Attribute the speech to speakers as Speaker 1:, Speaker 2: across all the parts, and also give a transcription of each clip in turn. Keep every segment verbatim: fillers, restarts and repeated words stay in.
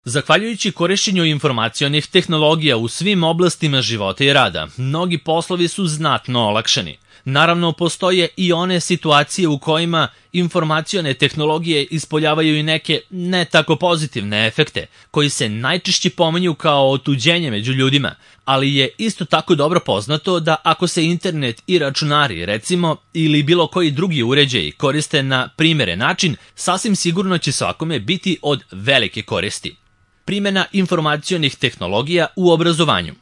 Speaker 1: Zahvaljujući korišćenju informacionih tehnologija u svim oblastima života i rada, mnogi poslovi su znatno olakšani. Naravno, postoje i one situacije u kojima informacione tehnologije ispoljavaju i neke ne tako pozitivne efekte, koji se najčešće pominju kao otuđenje među ljudima, ali je isto tako dobro poznato da ako se internet i računari, recimo, ili bilo koji drugi uređaji koriste na primeren način, sasvim sigurno će svakome biti od velike koristi. Primjena informacionih tehnologija u obrazovanju.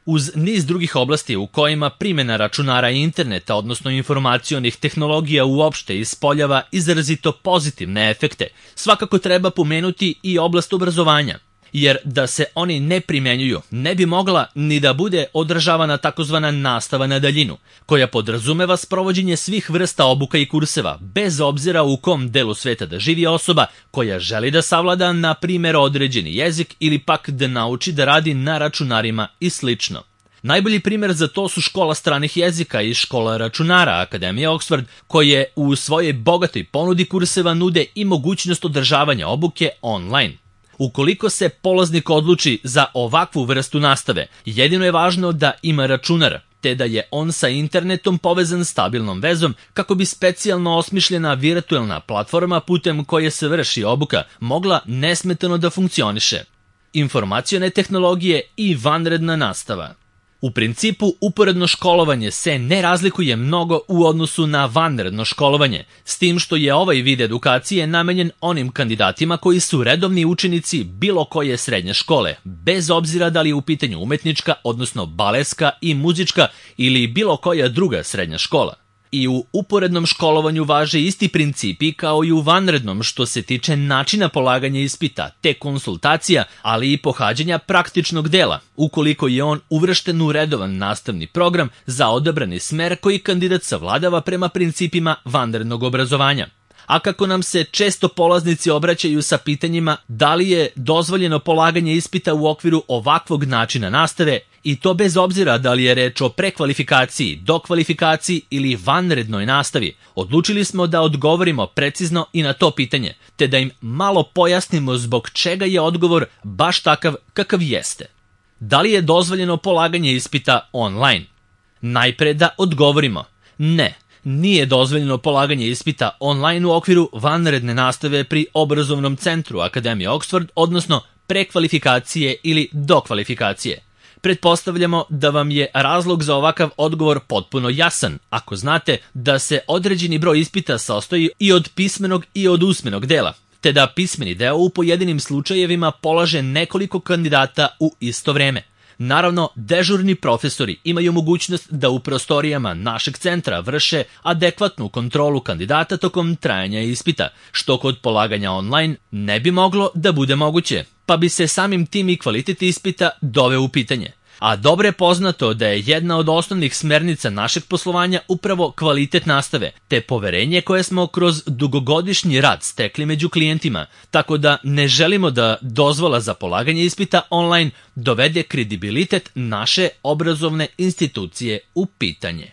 Speaker 1: Uz niz drugih oblasti u kojima primjena računara i interneta, odnosno informacionih tehnologija uopšte ispoljava izrazito pozitivne efekte, svakako treba pomenuti i oblast obrazovanja, jer da se oni ne primenjuju, ne bi mogla ni da bude održavana takozvana nastava na daljinu, koja podrazumeva sprovođenje svih vrsta obuka i kurseva, bez obzira u kom delu sveta da živi osoba koja želi da savlada, na primjer, određeni jezik ili pak da nauči da radi na računarima i slično. Najbolji primjer za to su škola stranih jezika i škola računara Akademije Oxford, koje u svojoj bogatoj ponudi kurseva nude i mogućnost održavanja obuke online. Ukoliko se polaznik odluči za ovakvu vrstu nastave, jedino je važno da ima računar, te da je on sa internetom povezan stabilnom vezom kako bi specijalno osmišljena virtualna platforma putem koje se vrši obuka mogla nesmetano da funkcioniše. Informacione tehnologije i vanredna nastava. U principu, uporedno školovanje se ne razlikuje mnogo u odnosu na vanredno školovanje, s tim što je ovaj vid edukacije namenjen onim kandidatima koji su redovni učenici bilo koje srednje škole, bez obzira da li je u pitanju umetnička, odnosno baleska i muzička ili bilo koja druga srednja škola. I u uporednom školovanju važe isti principi kao i u vanrednom što se tiče načina polaganja ispita, te konsultacija, ali i pohađanja praktičnog dela, ukoliko je on uvršten u redovan nastavni program za odabrani smer koji kandidat savladava prema principima vanrednog obrazovanja. A kako nam se često polaznici obraćaju sa pitanjima da li je dozvoljeno polaganje ispita u okviru ovakvog načina nastave, i to bez obzira da li je reč o prekvalifikaciji, dokvalifikaciji ili vanrednoj nastavi, odlučili smo da odgovorimo precizno i na to pitanje, te da im malo pojasnimo zbog čega je odgovor baš takav kakav jeste. Da li je dozvoljeno polaganje ispita online? Najpre da odgovorimo ne. Nije dozvoljeno polaganje ispita online u okviru vanredne nastave pri obrazovnom centru Akademije Oxford, odnosno prekvalifikacije ili dokvalifikacije. Pretpostavljamo da vam je razlog za ovakav odgovor potpuno jasan, ako znate da se određeni broj ispita sastoji i od pismenog i od usmenog dela, te da pismeni deo u pojedinim slučajevima polaže nekoliko kandidata u isto vreme. Naravno, dežurni profesori imaju mogućnost da u prostorijama našeg centra vrše adekvatnu kontrolu kandidata tokom trajanja ispita, što kod polaganja online ne bi moglo da bude moguće, pa bi se samim tim i kvalitet ispita doveo u pitanje. A dobro je poznato da je jedna od osnovnih smernica našeg poslovanja upravo kvalitet nastave, te poverenje koje smo kroz dugogodišnji rad stekli među klijentima, tako da ne želimo da dozvola za polaganje ispita online dovede kredibilitet naše obrazovne institucije u pitanje.